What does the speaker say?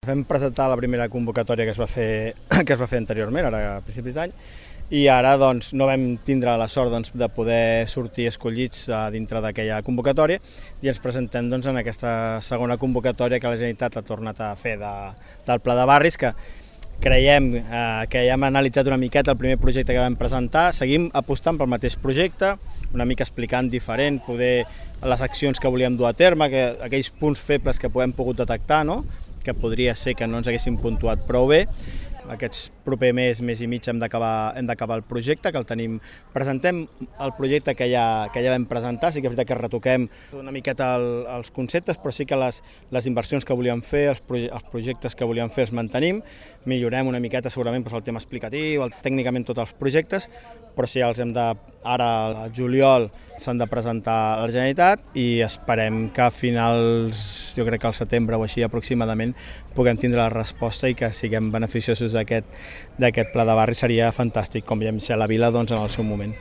Vam presentar la primera convocatòria que es va fer anteriorment, ara a principis d'any, i ara doncs, no vam tindre la sort de poder sortir escollits dintre d'aquella convocatòria i ens presentem en aquesta segona convocatòria que la Generalitat ha tornat a fer del Pla de Barris, que creiem que ja hem analitzat una miqueta el primer projecte que vam presentar, seguim apostant pel mateix projecte, una mica explicant diferent, poder les accions que volíem dur a terme, aquells punts febles que hem pogut detectar, no? Que podria ser que no ens haguessin puntuat prou bé. Aquests proper mes i mig hem d'acabar el projecte, que el tenim. Presentem el projecte que ja vam presentar, sí que és veritat que retoquem una miqueta els conceptes, però sí que les inversions que volíem fer, els projectes que volíem fer els mantenim, millorem una miqueta segurament el tema explicatiu, tècnicament tots els projectes, però sí, ara al juliol s'han de presentar a la Generalitat i esperem que a finals, jo crec que al setembre o així aproximadament, puguem tindre la resposta i que siguem beneficiosos d'aquest pla de barri. Seria fantàstic, com ja vam ser a la vila en el seu moment.